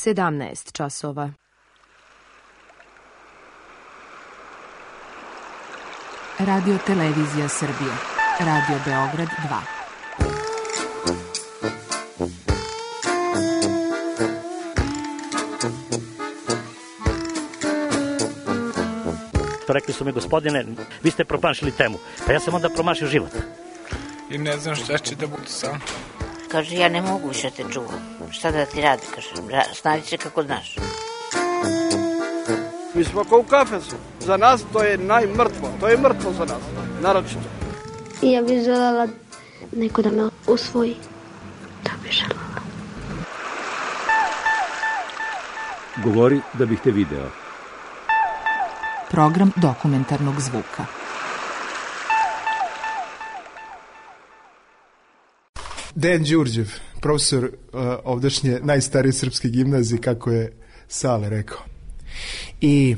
17 časova. Radio Televizija Srbije. Radio Beograd 2. Rekli su mi, gospodine, vi ste promašili temu. Pa ja sam onda promašio život. I ne znam šta će da bude sam. Kaže, ja ne mogu više te čuvam. Šta da ti radi, kaže, snađi se kako znaš. Mi smo kao u kafesu. Za nas to je najmrtvo. To je mrtvo za nas, naročito. I ja bih željela neko da me usvoji. To bih željela. Govori da bih te video. Program dokumentarnog zvuka. Dejan Đurđev, profesor ovdašnje najstarije srpske gimnazije, kako je Sale rekao. I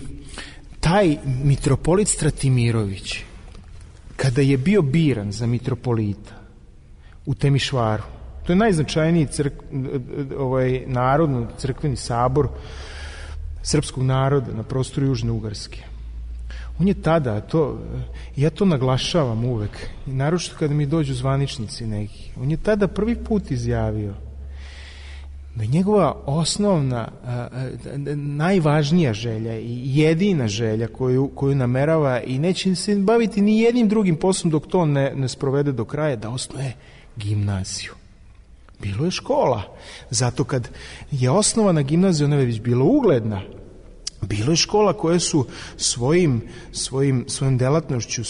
taj mitropolit Stratimirović, kada je bio biran za mitropolita u Temišvaru, to je najznačajniji narodno crkveni sabor srpskog naroda na prostoru Južne Ugarske. On je tada, ja to naglašavam uvek, i naročito kada mi dođu zvaničnici neki, on je tada prvi put izjavio da je njegova osnovna, najvažnija želja i jedina želja koju namerava i neće se baviti ni jednim drugim poslom dok to ne sprovede do kraja, da osnuje gimnaziju. Bilo je škola, zato kad je osnovana gimnazija, ona je već bila ugledna. Bilo je škola koje su svojim delatnošću,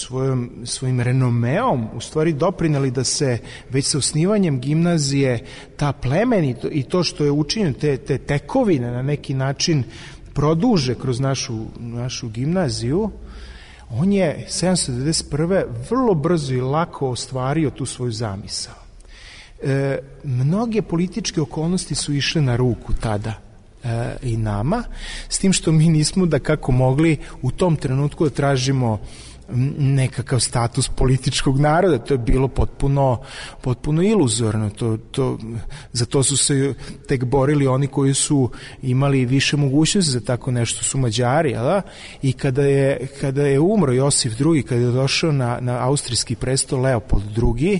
svojim renomeom u stvari doprineli da se već sa osnivanjem gimnazije ta plemenito i to što je učinjeno, te tekovine na neki način produže kroz našu gimnaziju. On je 791. vrlo brzo i lako ostvario tu svoju zamisao. Mnoge političke okolnosti su išle na ruku tada i nama, s tim što mi nismo da kako mogli u tom trenutku da tražimo nekakav status političkog naroda. To je bilo potpuno iluzorno. Za to su se tek borili oni koji su imali više mogućnosti za tako nešto, su Mađari, i kada je umro Josif II, kada je došao na austrijski presto Leopold II,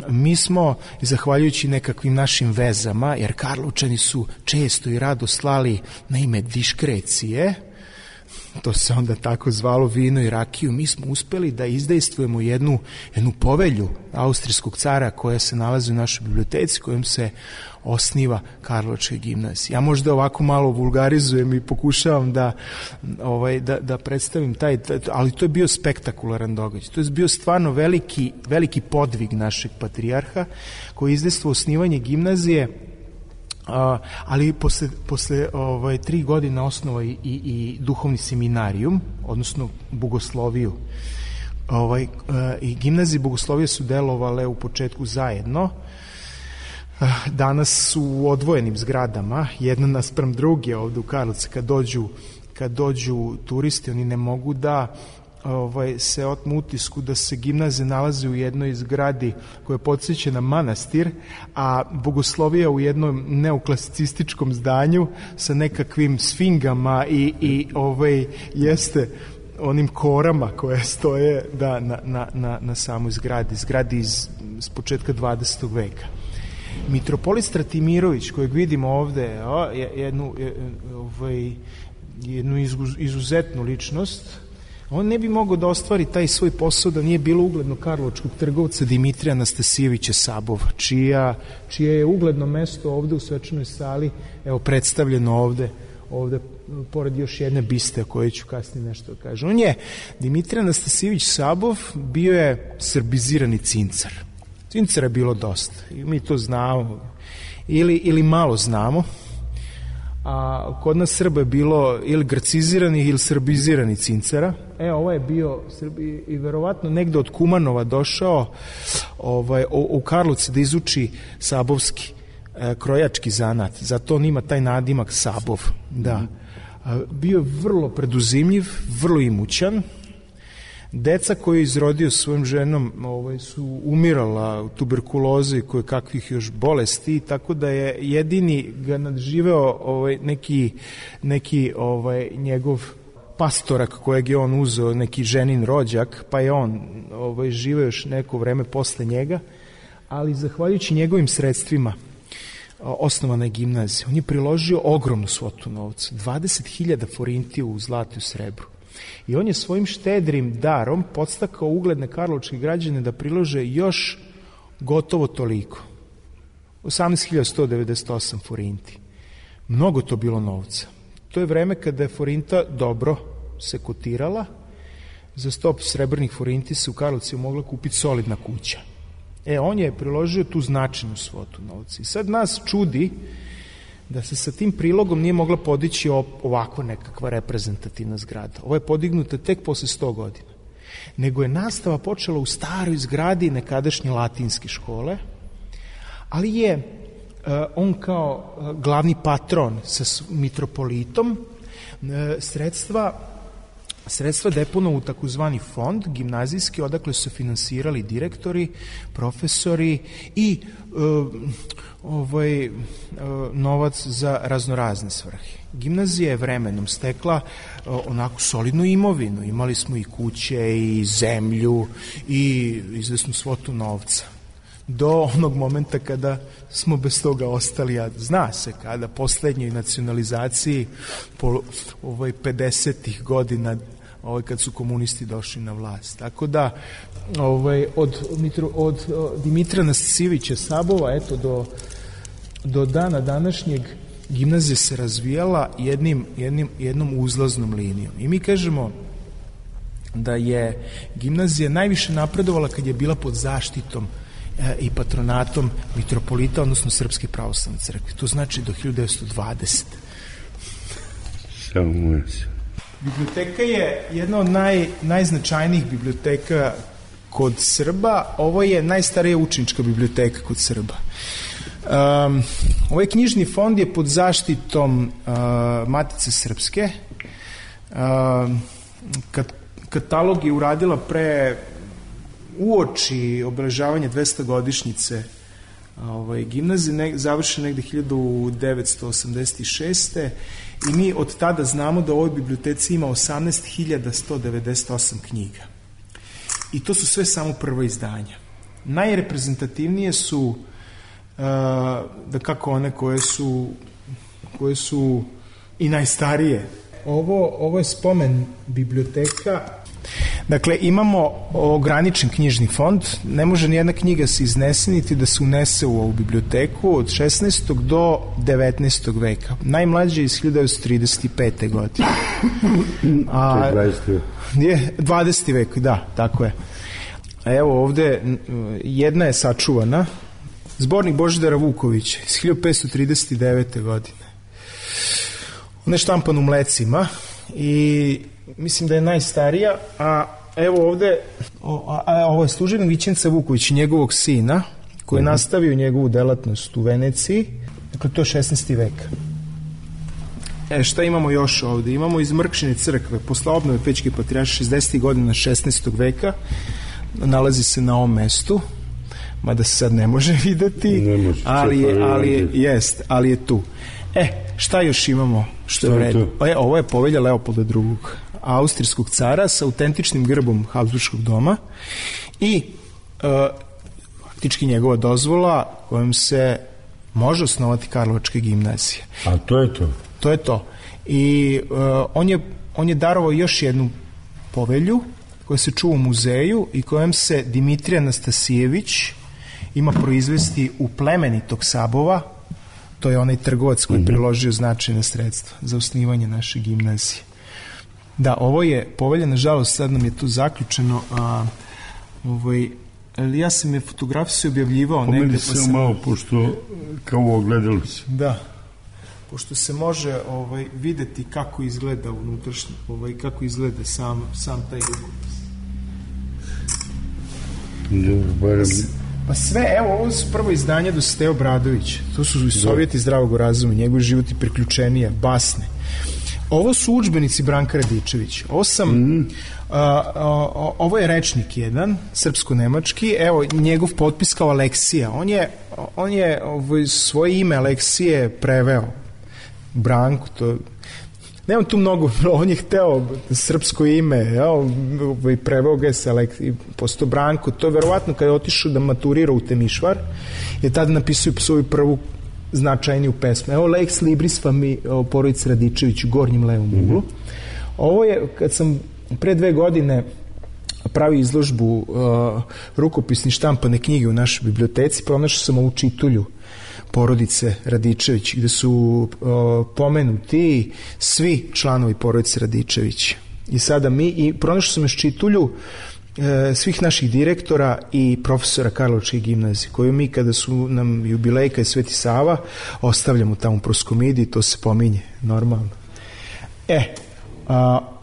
mi smo, zahvaljujući nekakvim našim vezama, jer Karlovčani su često i rado slali na ime diskrecije, to se onda tako zvalo, vino i rakiju, mi smo uspeli da izdejstvujemo jednu povelju austrijskog cara koja se nalazi u našoj biblioteci, kojom se osniva Karlovačka gimnazija. Ja možda ovako malo vulgarizujem i pokušavam da predstavim ali to je bio spektakularan događaj. To je bio stvarno veliki podvig našeg patrijarha koji je izdejstvovao osnivanje gimnazije, ali posle 3 godine osnova i duhovni seminarijum, odnosno bogosloviju. I gimnazije i bogoslovije su delovale u početku zajedno. Danas su u odvojenim zgradama, jedna naspram druge ovde u Karlovcu. Kad dođu turisti, oni ne mogu da se otmu utisku da se gimnazija nalazi u jednoj zgradi koja podsjeća na manastir, a bogoslovija u jednom neoklasicističkom zdanju sa nekakvim sfingama i jeste onim korama koje stoje na samoj zgradi iz početka 20. veka. Mitropolit Stratimirović, kojeg vidimo ovde, jednu izuzetnu ličnost, on ne bi mogao da ostvari taj svoj posao da nije bilo uglednog karlovačkog trgovca Dimitrija Anastasijevića Sabova, čije je ugledno mesto ovde u svečanoj sali predstavljeno ovde pored još jedne biste o kojoj ću kasnije nešto da kažem. On je, Dimitrij Anastasijević Sabov, bio je srbizirani cincar. Cincara je bilo dosta i mi to znamo ili malo znamo, a kod nas Srba je bilo ili graciziranih ili srbiziranih cincara. Ovo je bio Srbi i verovatno negde od Kumanova došao u Karlovce da izuči sabovski krojački zanat, zato on ima taj nadimak Sabov. Da. Bio je vrlo preduzimljiv, vrlo imućan. Deca koju je izrodio svojom ženom su umirala u tuberkulozi i koje kakvih još bolesti, tako da je jedini ga nadživeo neki njegov pastorak kojeg je on uzeo, neki ženin rođak, pa je on živeo još neko vreme posle njega, ali zahvaljujući njegovim sredstvima osnovana je gimnazija. On je priložio ogromnu svotu novca, 20.000 forinti u zlatu i srebru. I on je svojim štedrim darom podstakao ugledne karlovačke građane da prilože još gotovo toliko. 18.198 forinti. Mnogo to bilo novca. To je vreme kada je forinta dobro se kotirala. Za 100 srebrnih forinti se u Karlovcu mogla kupiti solidna kuća. On je priložio tu značajnu svotu novca. I sad nas čudi da se sa tim prilogom nije mogla podići ovako nekakva reprezentativna zgrada. Ovo je podignuta tek posle 100 godina. Nego je nastava počela u staroj zgradi nekadašnje latinske škole, ali je on kao glavni patron sa mitropolitom sredstva deponovao u takozvani fond gimnazijski, odakle su finansirali direktori, profesori i novac za raznorazne svrhe. Gimnazija je vremenom stekla onako solidnu imovinu. Imali smo i kuće i zemlju i izvesnu svotu novca. Do onog momenta kada smo bez toga ostali, a zna se kada poslednjoj nacionalizaciji po 50-ih godina kad su komunisti došli na vlast. Tako da od Dimitra Nasivića Sabova do dana današnjeg gimnazija se razvijala jednom uzlaznom linijom. I mi kažemo da je gimnazija najviše napredovala kad je bila pod zaštitom i patronatom mitropolita, odnosno Srpske pravoslavne crkve. To znači do 1920. Biblioteka je jedna od najznačajnijih biblioteka kod Srba. Ovo je najstarija učenička biblioteka kod Srba. Ovaj knjižni fond je pod zaštitom Matice Srpske. Katalog je uradila uoči obeležavanja 200-godišnjice gimnazije, završena negde 1986. I mi od tada znamo da u ovoj biblioteci ima 18.198 knjiga. I to su sve samo prva izdanja. Najreprezentativnije su da kako one koje su i najstarije. Ovo je spomen biblioteka. Dakle, imamo ograničen knjižni fond, ne može nijedna knjiga se iznese niti da se unese u ovu biblioteku od 16. do 19. veka. Najmlađe je iz 1935. godine. To je 20. vek, da, tako je. A evo ovde jedna je sačuvana, zbornik Božidara Vukovića iz 1539. godine. Ona je štampan u Mlecima i mislim da je najstarija, a evo ovde ovo je službenik Vićenca Vuković, njegovog sina, koji je nastavio njegovu delatnost u Veneciji. Dakle, to je 16. vek. Šta imamo još ovde? Imamo iz Mrkšine crkve, posle obnove Pećke patrijaršije 60. godina 16. veka, nalazi se na ovom mestu, mada se sad ne može videti, ali je tu. Šta još imamo što je u redu? Ovo je povelja Leopolda II, austrijskog cara sa autentičnim grbom Habsburškog doma i faktički njegova dozvola kojom se može osnovati Karlovačka gimnazija. A to je to? To je to. I on je darovao još jednu povelju koja se čuva u muzeju i kojom se Dimitrij Anastasijević ima proizvesti u plemenitog Sabova. To je onaj trgovac koji je priložio značajna sredstva za osnivanje naše gimnazije. Da, ovo je povelja, nažalost, sad nam je tu zaključeno, ja sam je fotografiju objavljivao negde. Pomeri se malo, pošto kao ogledalo se. Da, pošto se može videti kako izgleda unutrašnje, kako izgleda sam taj rukopis. Pa sve, evo, ovo su prvo izdanje Dositej Obradović. To su Sovjeti zdravog razuma, njegov život i priključenija, basne. Ovo su udžbenici Branka Radičevića. Ovo je rečnik jedan, srpsko-nemački, evo njegov potpis kao Aleksija. On je svoje ime Aleksije preveo Branku, to nemam tu mnogo, on je hteo srpsko ime, preveo ga se posto Branko, to je verovatno kada je otišao da maturira u Temišvar, je tada napisao svoju prvu značajniju pesmu. Evo Lex Libris porodice Radičević u gornjem levom uglu. Ovo je, kad sam pre 2 godine pravio izložbu rukopisni štampane knjige u našoj biblioteci, pronašao sam ovu čitulju porodice Radičević, gde su pomenuti svi članovi porodice Radičević. I sada pronašao sam još čitulju svih naših direktora i profesora Karlovačke gimnazije, koju mi kada su nam jubilejka i Sveti Sava ostavljamo tamo u Proskomidi, to se pominje normalno.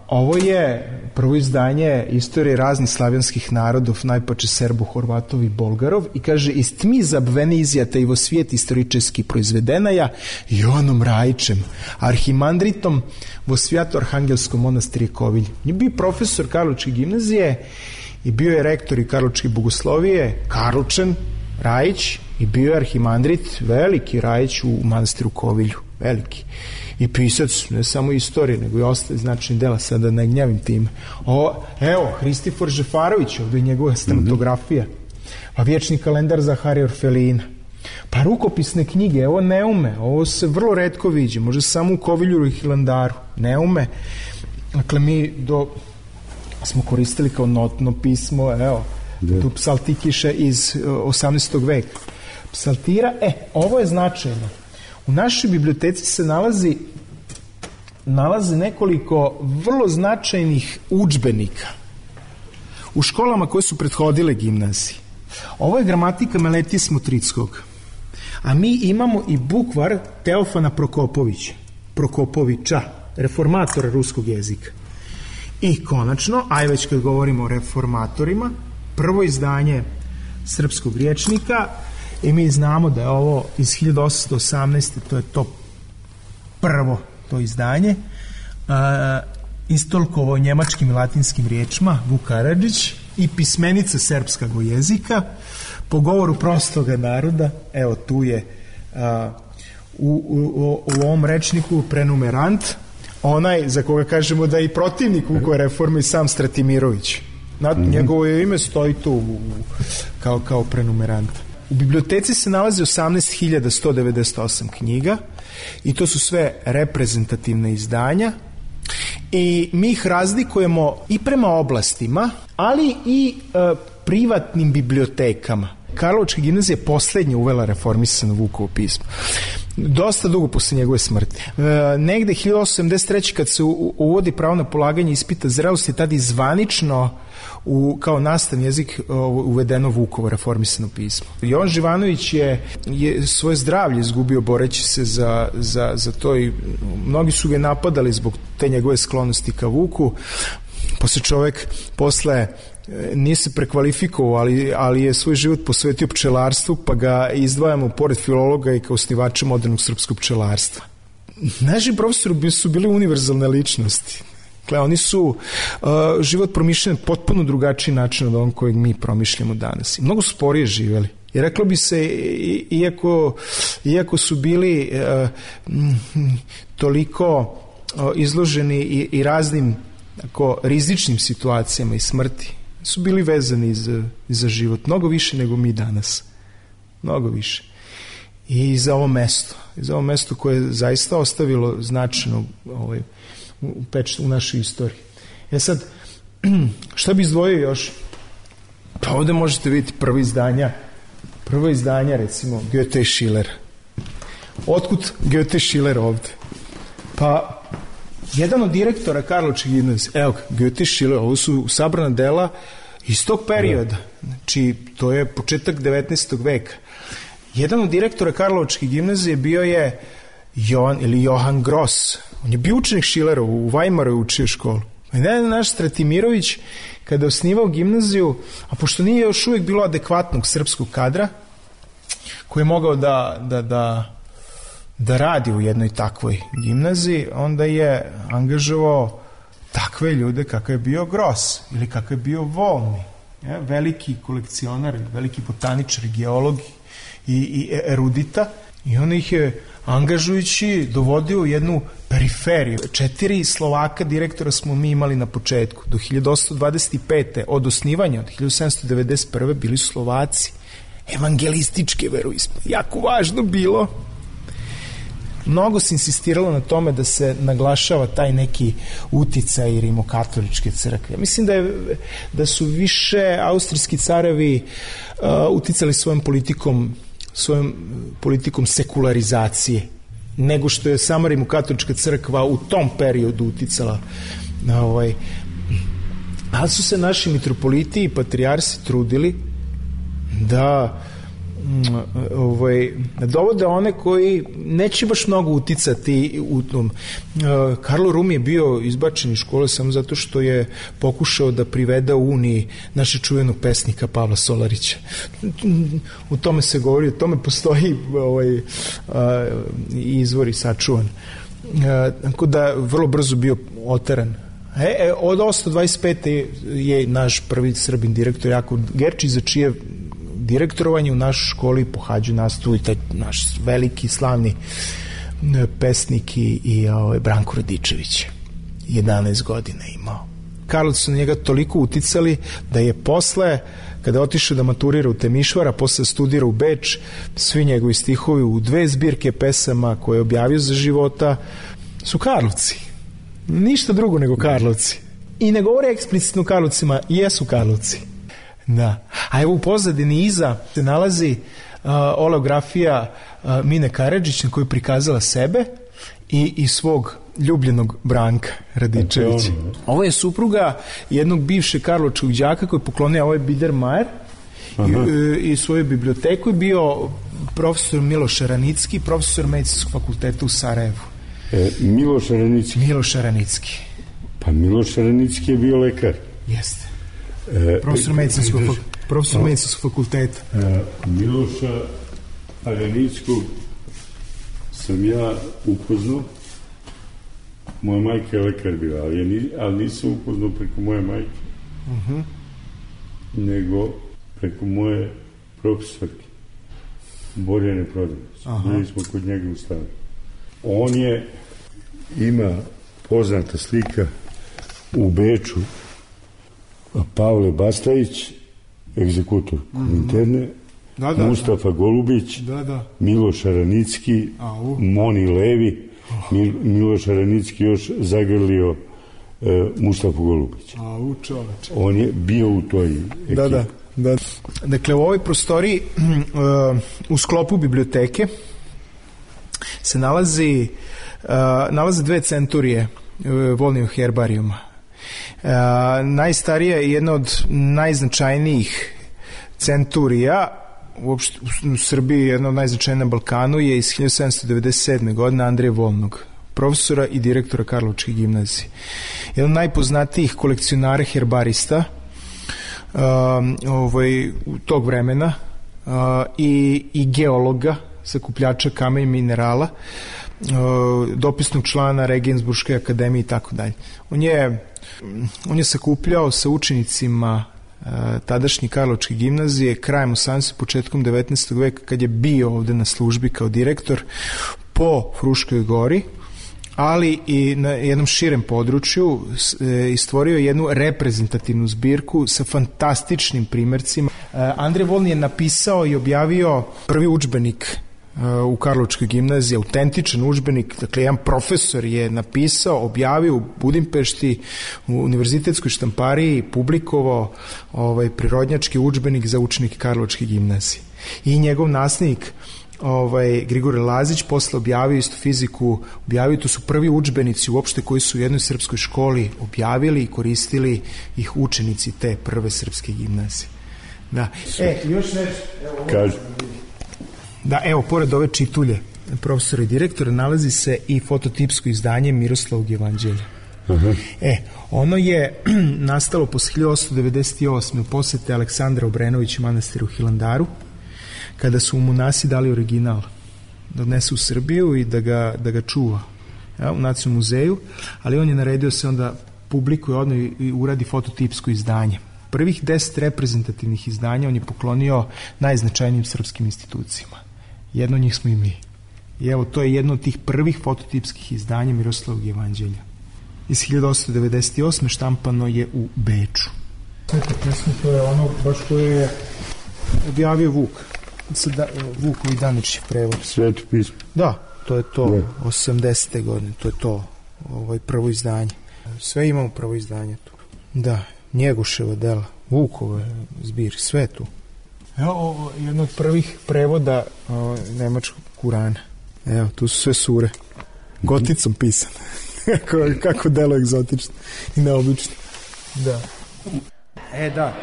Ovo je prvo izdanje istorije raznih slavijanskih narodov, najpače Serbo, Horvatov i Bolgarov, i kaže, iz tmi zabvene izjata i vo svijet istoričeski proizvedenaja Joanom Rajićem, arhimandritom vo Svjato-Arhangelskom monastirje Kovilj. Je bio profesor Karlovačke gimnazije i bio je rektor i Karlovačke bogoslovije, Karlovčan Rajić, i bio je arhimandrit, veliki Rajić u manastiru Kovilju, veliki. I pisac, ne samo istorije, nego i ostali značajni dela, sada ne gnjavim time. Evo, Hristifor Žefarović, ovdje je njegova stamatografija, pa vječni kalendar Zaharija Orfelina, pa rukopisne knjige, evo Neume, ovo se vrlo retko viđe, može samo u Kovilju i Hilandaru, Neume. Dakle, mi smo koristili kao notno pismo, evo, tu psaltikiše iz 18. veka. Psaltira, ovo je značajno. U našoj biblioteci se nalazi nekoliko vrlo značajnih udžbenika u školama koje su prethodile gimnaziji. Ovo je gramatika Meletije Smotrickog, a mi imamo i bukvar Teofana Prokopovića, reformatora ruskog jezika. I konačno, već kad govorimo o reformatorima, prvo izdanje srpskog rječnika, i mi znamo da je ovo iz 1818. To je to prvo to izdanje, istolkovo njemačkim i latinskim riječima Vuk Karadžić, i pismenica srpskog jezika po govoru prostoga naroda. Evo tu je u ovom rečniku prenumerant, onaj za koga kažemo da je i protivnik Vukove reforme, i sam Stratimirović. Njegovo ime stoji tu kao prenumerant. U biblioteci se nalazi 18.198 knjiga i to su sve reprezentativne izdanja, i mi ih razlikujemo i prema oblastima, ali i privatnim bibliotekama. Karlovačka gimnazija je poslednja uvela reformisano Vukovo pismo. Dosta dugo posle njegove smrti. Negde 1873. kad se uvodi pravo na polaganje ispita zrelosti, tada i zvanično kao nastavni jezik uvedeno Vukovo reformisano pismo. Jovan Živanović je svoje zdravlje izgubio boreći se za to, i mnogi su ga napadali zbog te njegove sklonosti ka Vuku. Posle nije se prekvalifikovao, ali je svoj život posvetio pčelarstvu, pa ga izdvajamo pored filologa i kao osnivača modernog srpskog pčelarstva. Naši profesori su bili univerzalne ličnosti. Oni su život promišljeni potpuno drugačiji način od onog kojeg mi promišljamo danas. I mnogo sporije živeli. I reklo bi se, iako su bili toliko izloženi i raznim rizičnim situacijama i smrti, su bili vezani za život. Mnogo više nego mi danas. Mnogo više. I za ovo mesto koje je zaista ostavilo značajno u našoj istoriji. Sad, šta bi izdvojio još? Pa ovde možete vidjeti prvo izdanja, recimo, Goethe i Schiller. Otkud Goethe i Schiller ovde? Pa, jedan od direktora Karlovačke gimnazije, evo ga, Goethe i Schiller, ovo su sabrana dela iz tog perioda. Znači, to je početak 19. veka. Jedan od direktora Karlovačke gimnazije bio je Johan Gross. On je bio učenik Schillera, u Weimaru je učio školu. Naš Stratimirović, kada je osnivao gimnaziju, a pošto nije još uvijek bilo adekvatnog srpskog kadra, koji je mogao da da radi u jednoj takvoj gimnaziji, onda je angažovao takve ljude kakav je bio Gros ili kakav je bio Volni, veliki kolekcionar, veliki botaničar, geolog i erudita, i on ih je angažujući dovodio u jednu periferiju. 4 Slovaka direktora smo mi imali na početku. Do 1825. od osnivanja, od 1791. bili su Slovaci. Evangelističke veroispovesti. Jako važno bilo. Mnogo se insistiralo na tome da se naglašava taj neki uticaj rimokatoličke crkve. Mislim da su više austrijski carevi uticali svojom politikom sekularizacije nego što je sama rimokatolička crkva u tom periodu uticala na ali su se naši mitropoliti i patrijarsi trudili da dovode one koji neće baš mnogo uticati u tom. Karlo Rum je bio izbačen iz škole samo zato što je pokušao da privede u Uniji našeg čuvenog pesnika Pavla Solarića. U tome se govori, o tome postoji izvor sačuvan. Tako da vrlo brzo bio oteran. Od 1825. je naš prvi Srbin direktor Jakov Gerčić, za čije direktorovanje u našoj školi pohađaju nastavu i taj naš veliki slavni pesnik i Branko Radičević. 11 godina imao. Karlovci su na njega toliko uticali da je posle, kada je otišao da maturira u Temišvara, posle studira u Beč, svi njegovi stihovi u 2 zbirke pesama koje je objavio za života su Karlovci. Ništa drugo nego Karlovci. I ne govore eksplicitno Karlovcima, jesu Karlovci. Da. A evo u pozadini iza se nalazi oleografija Mine Karadžić na kojoj je prikazala sebe i svog ljubljenog Branka Radičevića. Ovo je supruga jednog bivšeg karlovačkog đaka koji je poklonio ovaj Biedermeier i svoju biblioteku je bio profesor Miloš Aranicki, profesor medicinskog fakulteta u Sarajevu. Miloš Aranicki. Pa Miloš Aranicki je bio lekar. Jeste. Profesor medicinskog fakulteta. Miloša Aranickog sam ja upoznao. Moja majka je lekar bila, ali nisam upoznao preko moje majke, nego preko moje profesorke Borjane Prodanice. Bili smo kod njega u stanu. On ima poznata slika u Beču, Pavle Bastajić, egzekutor Kominterne, Mustafa Golubić, Miloš Aranicki, Moni Levi, Miloš Aranicki još zagrlio Mustafa Golubića. On je bio u toj ekipi. Da. Dakle, u ovoj prostoriji u sklopu biblioteke se nalaze 2 centurije Volnijeg herbarijuma. Najstarija je jedna od najznačajnijih centurija uopšte u Srbiji, jedna od najznačajnijih na Balkanu je iz 1797. godine Andreja Volnog, profesora i direktora Karlovačke gimnazije. Jedan od najpoznatijih kolekcionara herbarista tog vremena i geologa, sakupljača kamena i minerala, dopisnog člana Regensburške akademije i tako dalje. On je sakupljao sa učenicima tadašnje Karlovačke gimnazije krajem 18. početkom 19. veka kad je bio ovde na službi kao direktor po Fruškoj gori, ali i na jednom širem području i stvorio jednu reprezentativnu zbirku sa fantastičnim primercima. Andrej Volni je napisao i objavio prvi udžbenik u Karlovačkoj gimnaziji, autentičan udžbenik, dakle jedan profesor je napisao, objavio u Budimpešti u univerzitetskoj štampariji, publikovao prirodnjački udžbenik za učenike Karlovačke gimnazije. I njegov naslednik Grigore Lazić posle objavio isto fiziku, to su prvi udžbenici uopšte koji su u jednoj srpskoj školi objavili i koristili ih učenici te prve srpske gimnazije. Da. Još nešto. Da, evo, pored ove čitulje profesora i direktora nalazi se i fototipsko izdanje Miroslavog evanđelja. Ono je nastalo posle 1898. u posete Aleksandra Obrenovića manastiru Hilandaru, kada su mu monasi dali original odnese u Srbiju i da ga čuva u Nacionalnom muzeju, ali on je naredio se onda publikuje odno i uradi fototipsko izdanje. Prvih 10 reprezentativnih izdanja on je poklonio najznačajnijim srpskim institucijama. Jedno od njih smo i mi. I evo, to je jedno od tih prvih fototipskih izdanja Miroslavog jevanđelja. Iz 1898. štampano je u Beču. Sveta pesma, to je ono baš koje je objavio Vuk. Vukovi današnji prevod. Sveto pismo. Da, to je to. 80. godine, to je to. Prvo izdanje. Sve imamo prvo izdanje tu. Da, Njegoševa dela, Vukove zbir, sve tu. Evo, ovo je jedno od prvih prevoda nemačkog Kurana. Evo, tu su sve sure. Goticom pisane. Kako delo egzotično i neobično. Da. Da.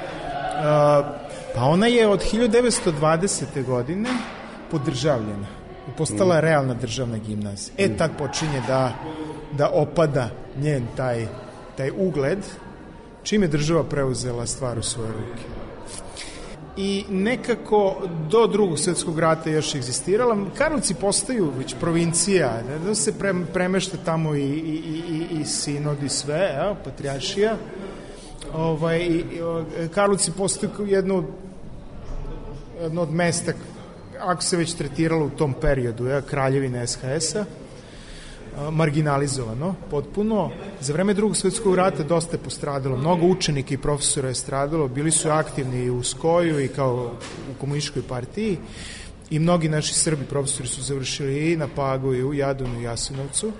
Pa ona je od 1920. godine podržavljena. Postala realna državna gimnazija. Tad počinje da opada njen taj ugled, čim je država preuzela stvar u svoje ruke. I nekako do Drugog svjetskog rata još egzistirala. Karlovci postaju već provincija, da se premešta tamo i sinod i sve, patrijaršija. Karlovci postaju jedno od mesta, ako se već tretiralo u tom periodu, kraljevine SHS-a, marginalizovano potpuno. Za vreme Drugog svjetskog rata dosta je postradalo, mnogo učenika i profesora je stradalo, bili su aktivni i u Skoju i kao u komunističkoj partiji i mnogi naši Srbi profesori su završili i na Pagu i u Jadonu i Jasenovcu.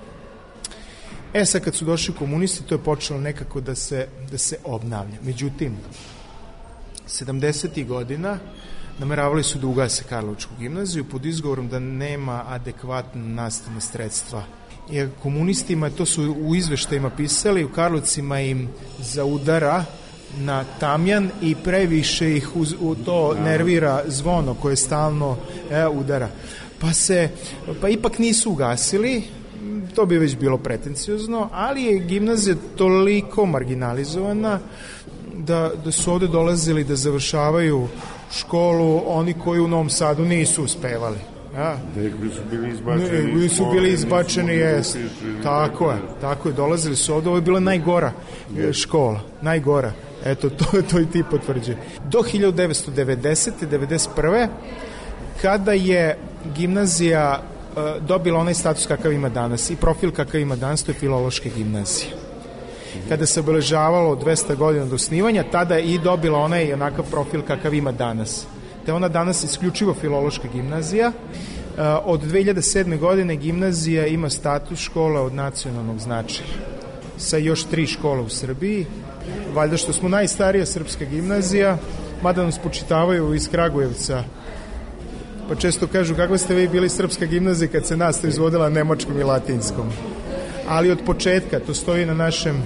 Sad kad su došli komunisti, to je počelo nekako da se obnavlja. Međutim, 70. godina nameravali su da ugase Karlovačku gimnaziju pod izgovorom da nema adekvatna nastavna sredstva. Jer komunistima, to su u izveštajima pisali, u Karlovcima im zaudara na tamjan i previše ih u to nervira zvono koje stalno udara. Pa ipak nisu ugasili, to bi već bilo pretenciozno, ali je gimnazija toliko marginalizovana da su ovde dolazili da završavaju školu oni koji u Novom Sadu nisu uspevali. Su bili izbačeni, jest. Tako je, dolazili su ovde, ovo je bila najgora škola, najgora. Eto, to i ti potvrđuje. Do 1990. 1991. kada je gimnazija dobila onaj status kakav ima danas i profil kakav ima danas, to je filološka gimnazija. Kada se obeležavalo 200 godina od osnivanja, tada je i dobila onaj onakav profil kakav ima danas. Te ona danas isključivo filološka gimnazija. Od 2007. godine gimnazija ima status škola od nacionalnog značaja sa još 3 škole u Srbiji. Valjda što smo najstarija srpska gimnazija, mada nam spočitavaju iz Kragujevca, pa često kažu kako ste vi bili srpska gimnazija kad se nastava izvodila nemačkom i latinskom. Ali od početka, to stoji na našem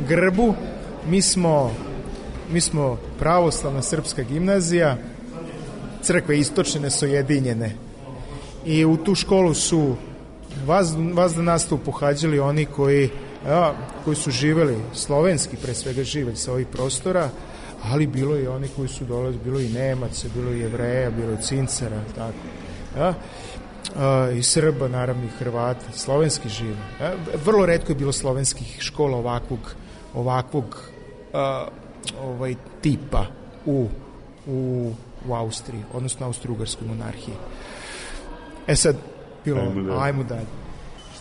grbu, mi smo pravoslavna srpska gimnazija, crkve istočne nesojedinjene. I u tu školu su vas da nastavu pohađali oni koji su živeli, slovenski pre svega živeli sa ovih prostora, ali bilo i oni koji su dolazili, bilo i Nemaca, bilo i Jevreja, bilo i Cincara, tako. I Srba, naravno i Hrvata, slovenski žive. Vrlo retko je bilo slovenskih škola ovakvog tipa u Austriji, odnosno Austro-Ugarskoj monarhiji. Sad, ajmo dalje.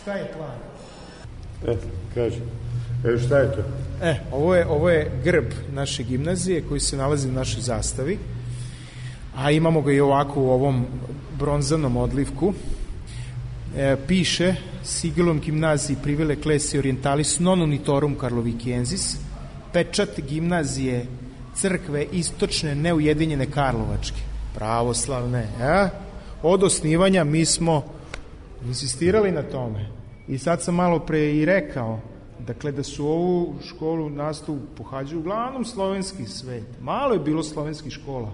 Šta je plan? Kaži. Šta je to? Ovo je grb naše gimnazije koji se nalazi u našoj zastavi, a imamo ga i ovako u ovom bronzanom odlivku. Piše Sigillum gimnaziji privile klesi orientalis non unitorum Karlovikiensis, pečat gimnazije crkve istočne neujedinjene Karlovačke, pravoslavne. Od osnivanja mi smo insistirali na tome. I sad sam malo pre i rekao, dakle, da su ovu školu nastavu pohađaju uglavnom slovenski svet. Malo je bilo slovenskih škola.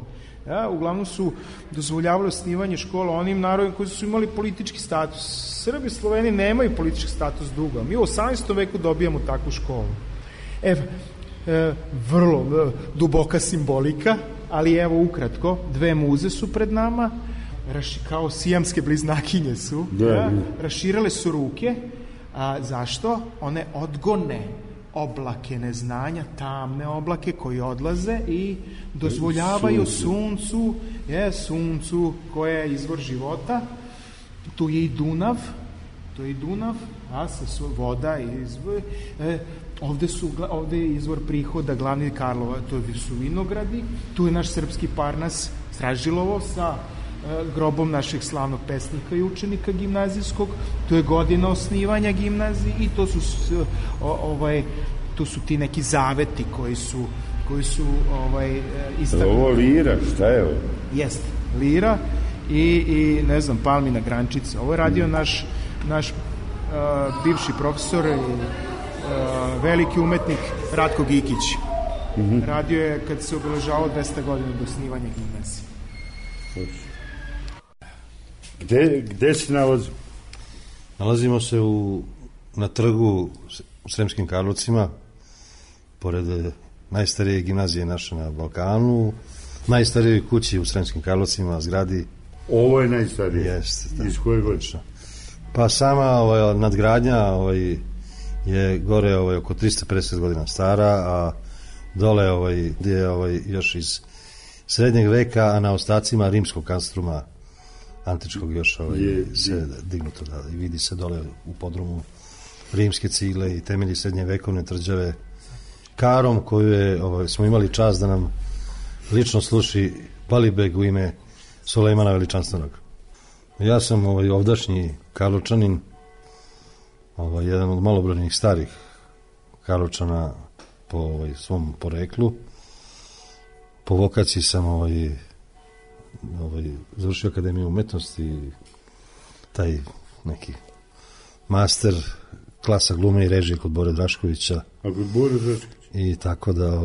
Uglavnom su dozvoljavali osnivanje škola onim narodima koji su imali politički status. Srbi i Sloveni nemaju politički status dugo. Mi u 18. veku dobijamo takvu školu. Vrlo duboka simbolika, ali evo ukratko, 2 muze su pred nama. kao sijamske bliznakinje su, Da. raširale su ruke. Zašto? One odgone oblake neznanja, tamne oblake koji odlaze i dozvoljavaju suncu koje je izvor života. Tu je i Dunav, voda izvor. Ovde je izvor prihoda glavni Karlova, to su vinogradi. Tu je naš srpski Parnas Stražilovo sa grobom našeg slavnog pesnika i učenika gimnazijskog. To je godina osnivanja gimnazije i to su ti neki zaveti koji su istaknuti. Ovo Lira, šta je ovo? Jeste, Lira i ne znam, palmina grančica. Ovo je radio naš bivši profesor i veliki umetnik Ratko Gikić. Radio je kad se obeležavao 200 godina do osnivanja gimnazije. Gde se nalazimo? Nalazimo se na trgu u Sremskim Karlovcima, pored najstarije gimnazije naše na Balkanu, najstarijoj kući u Sremskim Karlovcima, zgradi. Ovo je najstarije? Jeste. Iz koje godine? Pa sama nadgradnja je gore oko 350 godina stara, a dole je još iz srednjeg veka, a na ostacima rimskog kanstruma antičkog još se dignuto, i vidi se dole u podrumu rimske cigle i temelji srednje vekovne tvrđave Karom, koju smo imali čast da nam lično sluši Balibeg u ime Sulejmana Veličanstvenog. Ja sam ovdašnji Karlovčanin, jedan od malobrojnih starih Karlovčana po svom poreklu. Po vokaciji sam završio Akademiju umetnosti i taj neki master klasa glume i režije kod Bore Draškovića. A kod Bore Draškovića? I tako da,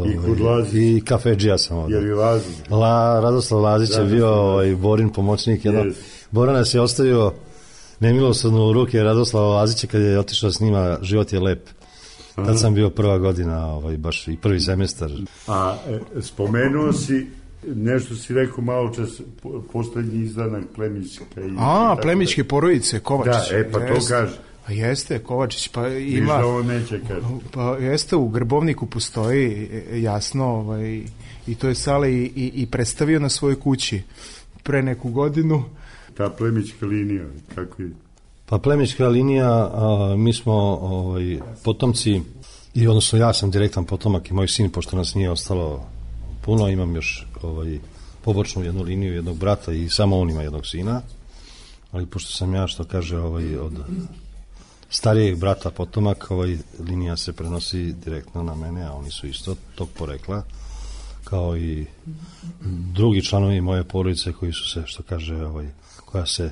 I kod Lazića? I kafedžija sam ovdje. Jer i Lazić? Radoslav Lazić je bio Borin pomoćnik. Bora nas je ostavio nemilosrdno u ruke Radoslava Lazića kad je otišao s njima Život je lep. Tad sam bio prva godina, baš i prvi semestar. A spomenuo si, nešto si rekao malo čas, poslednji izdanak Plemićka. Plemićke porodice, Kovačić. Da, pa to kaže. Pa jeste, Kovačić, pa ima... Viš da ovo neće kaže. Pa jeste, u Grbovniku postoji, jasno, i to je Sale i predstavio na svojoj kući pre neku godinu. Ta Plemićka linija, kako je? Pa Plemićka linija, mi smo potomci, i odnosno ja sam direktan potomak i moj sin, pošto nas nije ostalo puno, imam još pobočnu jednu liniju jednog brata i samo on ima jednog sina, ali pošto sam ja, što kaže, od starijeg brata potomak, linija se prenosi direktno na mene, a oni su isto tog porekla, kao i drugi članovi moje porodice koji su se, što kaže, koja se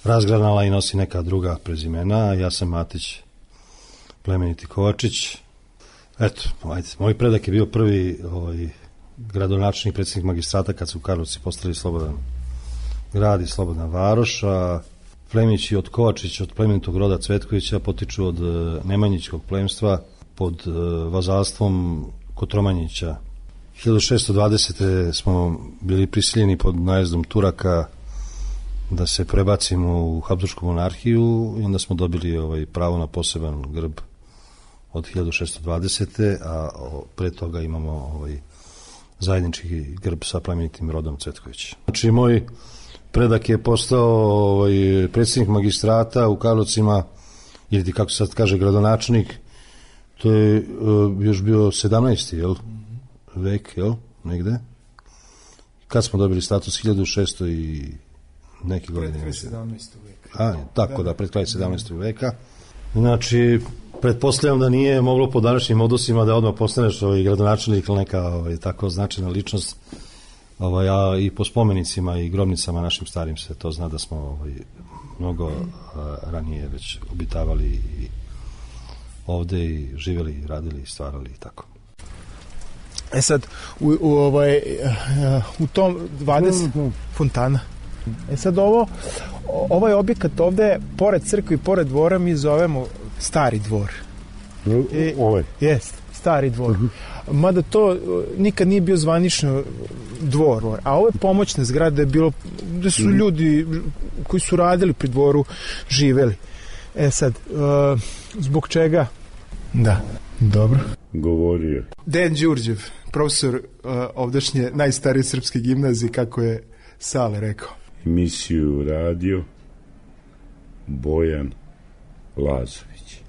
razgranala i nosi neka druga prezimena. Ja sam Matić Plemeniti Kovačić. Eto, moj predak je bio prvi gradonačelnik, predsjednik magistrata kad su u Karlovci postali slobodan grad i slobodna varoš, a Plemići od Kovačića, od plemenitog roda Cvetkovića, potiču od Nemanjićkog plemstva pod vazalstvom Kotromanjića. 1620. smo bili prisiljeni pod najezdom Turaka da se prebacimo u Habsburšku monarhiju i onda smo dobili pravo na poseban grb od 1620. a pre toga imamo zajednički grb sa plemenitim rodom Cvetković. Znači, moj predak je postao predsjednik magistrata u Karlovcima, ili kako se sad kaže gradonačelnik, to je još bio 17. vek, negde. Kad smo dobili status 1600 i neke godine. Pred kraj 17. veka. Tako da, pred kraj 17. veka. Znači, pretpostavljam da nije moglo po današnjim odnosima da odmah postaneš gradonačelnik ili neka tako značajna ličnost, a i po spomenicima i grobnicama našim starim se to zna da smo mnogo ranije već obitavali i ovde i živjeli i radili i stvarali i tako. Sad, u tom 20 fontana. Sad ovaj objekat ovde, pored crkve i pored dvora, mi zovemo Stari dvor. Ovaj? Jest, stari dvor. Mada to nikad nije bio zvanično dvor, a ovo je pomoćna zgrada, je bilo da su ljudi koji su radili pri dvoru živeli. Sad, zbog čega? Da, dobro. Govorio. Dejan Đurđev, profesor ovdašnje najstarije srpske gimnazije, kako je Sale rekao. Emisiju radio Bojan Lazović.